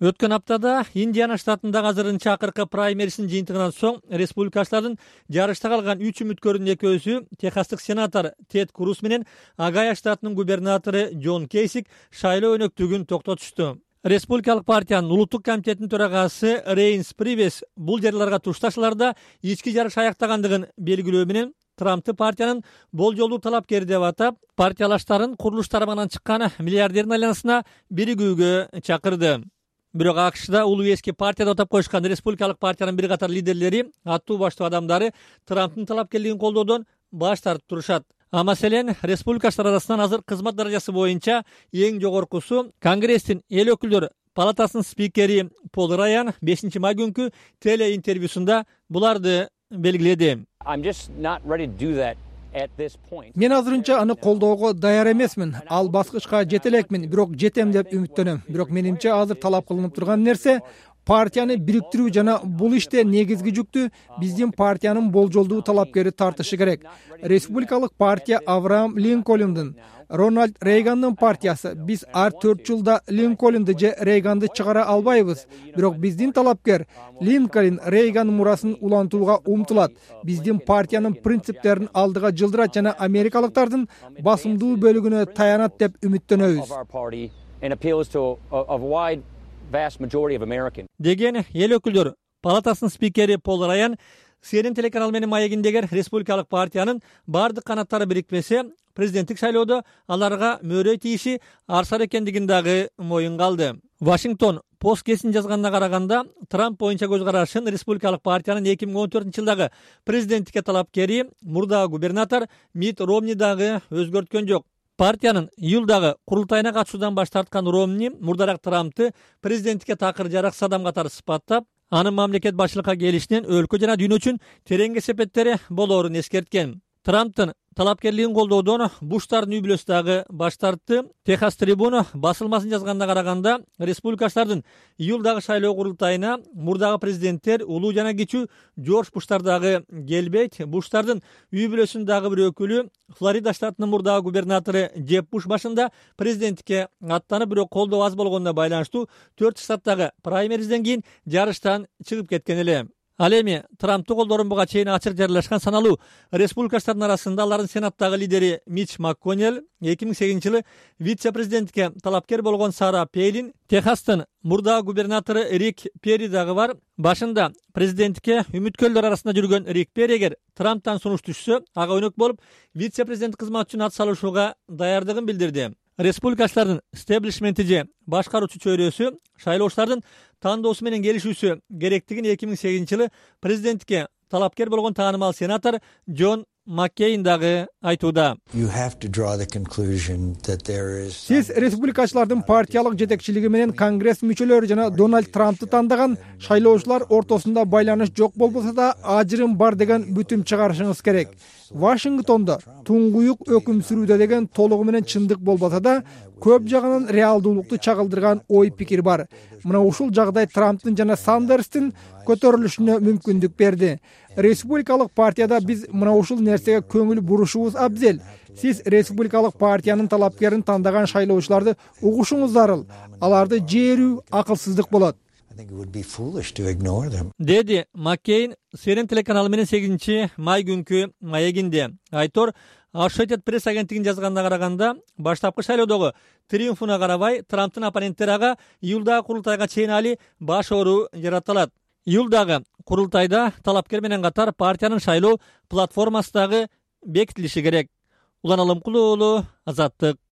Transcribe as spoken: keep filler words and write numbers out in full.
Өткөн аптада Индиана штатындагы азырынча акыркы праймерисинин жыйынтыгынан соң республикачылардын жарышта калган үч үмүткөрдүн экөөсү техастык сенатор Тед Круз менен Огайо штатынын губернатору Джон Кейсик шайлоо өнөктүгүн токтотушту. Республикалык партиянын улуттук комитетинин төрагасы Рейнс Привес бул жерлерге тушташыларда ички жарыш аяктагандыгын белгилөө менен Трампты партиянын болжолдуу талапкери деп атап, партиялаштарын курулуш тарабынан чыккан миллиардердин айланасына биригүүгө чакырды. Бирок АКШда улуу эски партия деп атап коюшкан республикалык партиянын бир катар лидерлери, аттуу баштуу адамдары Трамптын талапкерлигин колдоодон баш тартып турушат. А маселен, республикачылар арасынан азыр кызмат даражасы боюнча эң жогоркусу Конгресстин эл өкүлдөр палатасынын спикери Пол Раян бешинчи май күнкү телеинтервьюсунда буларды белгиледи. Мен азырынча аны колдоого даяр эмесмин. Ал баскычка жете элекмин, бирок жетем деп үмүттөнөм. Бирок менимче азыр талап кылынып турган нерсе партияны бириктирүү жана бул иште негизги жүктү биздин партиянын болжолдуу талапкери тартышы керек. Республикалык партия Авраам Линкольндун, Рональд Рейгандын партиясы. Биз ар төрт жылда Линкольнду же Рейганды чыгара албайбыз. Бирок биздин талапкер Линкольн Рейган мурасын улантууга умтулат. Биздин партиянын принциптерин алдыга жылдырат жана америкалыктардын басымдуу бөлүгүнө таянат деп үмүттөнөбүз. Деген эл өкүлдөр палатасынын спикери Пол Раян Си Эн Эн телеканалы менен маегиндегер республикалык партиянын бардык канаттары бирикпесе, президенттик шайлоодо аларга мөөрөй тийиши арсар экендигин дагы моюнга алды. Вашингтон Пост гезитин жазганына караганда, Трамп боюнча көз карашын республикалык партиянын эки миң он төртүнчү жылдагы президенттикке талапкери, мурдагы губернатор Мит Ромни дагы өзгөрткөн жок. Партиянын июлдагы курултайына катышуудан баш тарткан Ромни мурдараак Трампты президенттикке такыр жараксыз адам катары сыпаттап, анын мамлекет башчылыкка келишинен өлкө жана дүйнө үчүн терең кесепеттери болоорун эскерткен. Трамптын талапкерлигин колдоодон Буштардын үй бүлөсү дагы баш тартты. Техас Трибуна басылмасынын жазганына караганда, республикачылардын июлдагы шайлоо курултайына мурдагы президенттер улуу жана кичүү Джордж Буштар дагы келбейт. Буштардын үй бүлөсүнүн дагы бир өкүлү, Флорида штатынын мурдагы губернатору Джеб Буш башында президенттикке аттанып, бирок колдоо аз болгонуна байланыштуу төрт штаттагы праймеризден кийин жарыштан чыгып кеткен эле. Ал эми Трампты колдоорун буга чейин ачык жарыялашкан саналуу республикачылардын арасында алардын сенаттагы лидери Митч МакКоннелл, эки миң сегизинчи жылы вице-президентке талапкер болгон Сара Пейлин, Техастын мурдагы губернатору Рик Перри дагы бар. Башында президенттикке үмүткөрлөр арасында жүргөн Рик Перри эгер Трамптан сунуш түшсө, ага өнөк болуп вице-президент кызматы үчүн ат салышууга даярдыгын билдирди. Республикачылардын стеблишменти же башкаруучу чөйрөсү шайлоочулардын тандоосу менен келишүүсү керектигин эки миң сегизинчи жылы президенттикке талапкер болгон таанымал сенатор Джон Маккейн дагы айтууда. Сиз республикачылардын партиялык жетекчилиги менен Конгресс мүчөлөрү жана Дональд Трампты тандаган шайлоочулар ортосунда байланыш жок болбосо да ажырым бар деген бүтүм чыгарышыңыз керек. Вашингтондо туңгуюк өкүм сүрүүдө деген толугу менен чындык болбосо да, көп жагынан реалдуулукту чагылдырган ой пикир бар. Мына ушул жагдай Трамптын жана Сандерстин көтөрүлүшүнө мүмкүндүк берди. Республикалык партияда биз мына ушул нерсеге көңүл бурушубуз абзел. Сиз республикалык партиянын талапкерин тандаган шайлоочуларды угушуңуз зарыл. Аларды жээрүү акылсыздык болот. Деди Маккейн Си Эн Эн телеканалы менен сегизинчи май күнкү маегинде. Айтор Associated Press агенттигинин жазганына караганда, баштапкы шайлоодогу триумфуна карабай, Трамптын оппоненттери ага июлдагы курултайга чейин али баш оору жараталат. Июлдагы курултайда талапкер менен катар партиянын шайлоо платформасы дагы бекитилиши керек. Улан Алымкулуу уулу, Азаттык.